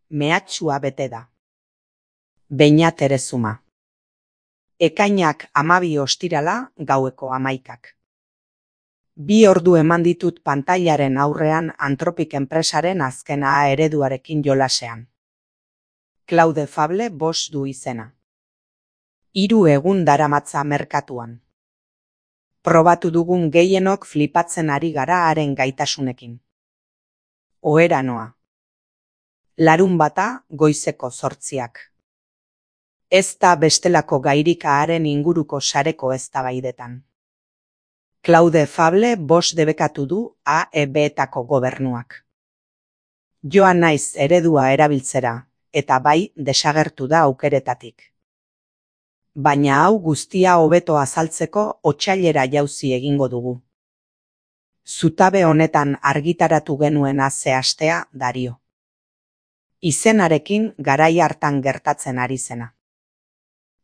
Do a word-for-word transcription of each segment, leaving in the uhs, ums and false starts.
mehatxua bete da. Beñat Erezuma. Ekainak hamabi ostirala gaueko hamaikak. Bi ordu eman ditut pantailaren aurrean Anthropic enpresaren azken A ereduarekin jolasean. Claude Fable bost du izena. Hiru egun daramatza merkatuan. Probatu dugun gehienok flipatzen ari gara haren gaitasunekin. Ohera noa. Larunbata goizeko zortziak. Ez da bestelako gairika haren inguruko sareko eztabaidetan. Claude Fable bost debekatu du A E B-etako gobernuak. Joan naiz eredua erabiltzera, eta bai desagertu da aukeretatik. Baina hau guztia hobeto azaltzeko otsailera jauzi egingo dugu. Zutabe honetan argitaratu genuen ze astea Dario. Izenarekin garai hartan gertatzen ari zena.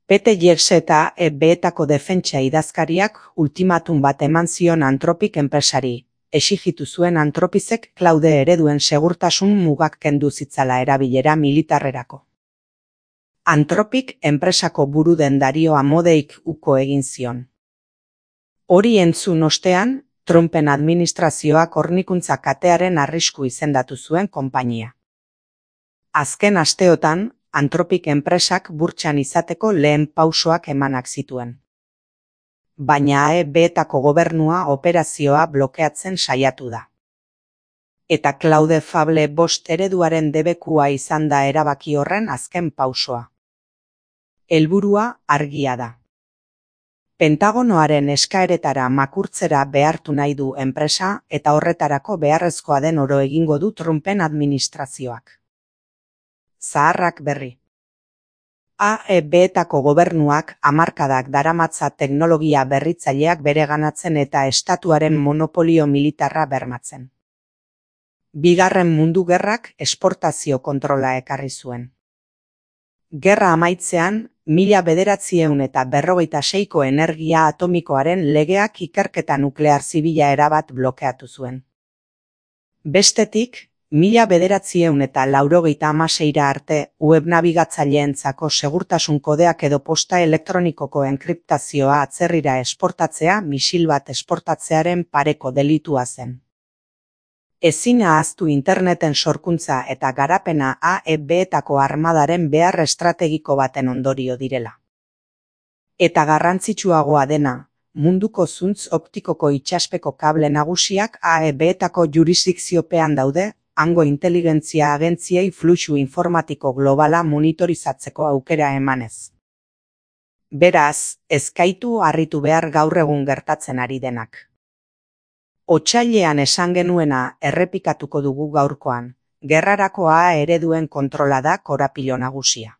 Pete Jeks eta A E B-etako defentsa idazkariak ultimatum bat eman zion Anthropic enpresari, exigitu zuen Anthropicek Claude ereduen segurtasun mugak kendu zitzala erabilera militarrerako. Anthropic enpresako buru den Dario Amodeik uko egin zion. Hori entzun ostean, Trumpen administrazioak hornikuntza katearen arrisku izendatu zuen konpainia. Azken asteotan, Anthropic enpresak burtsan izateko lehen pausoak emanak zituen. Baina A E B-etako gobernua operazioa blokeatzen saiatu da. Eta Claude Fable bost ereduaren debekua izan da erabaki horren azken pausoa. Helburua argia da. Pentagonoaren eskaeretara makurtzera behartu nahi du enpresa eta horretarako beharrezkoa den oro egingo du Trumpen administrazioak. Zaharrak berri. A E B-etako gobernuak hamarkadak daramatza teknologia berritzaileak bereganatzen eta estatuaren monopolio militarra bermatzen. Bigarren Mundu Gerrak esportazio kontrola ekarri zuen. Gerra amaitzean, mila bederatziehun eta berrogeita seiko energia atomikoaren legeak ikerketa nuklear zibila erabat blokeatu zuen. Bestetik, mila bederatziehun eta laurogeita hamaseira arte web nabigatzaileentzako segurtasun kodeak edo posta elektronikoko enkriptazioa atzerrira esportatzea misil bat esportatzearen pareko delitua zen. Ezin ahaztu interneten sorkuntza eta garapena A E B-etako armadaren behar estrategiko baten ondorio direla. Eta garrantzitsuagoa dena, munduko zuntz optikoko itsaspeko kable nagusiak A E B-etako jurisdikziopean daude, hango inteligentzia agentziei fluxu informatiko globala monitorizatzeko aukera emanez. Beraz, ezkaitu harritu behar gaur egun gertatzen ari denak. Otsailean esan genuena errepikatuko dugu gaurkoan, gerrarako A ereduen kontrola da korapilo nagusia.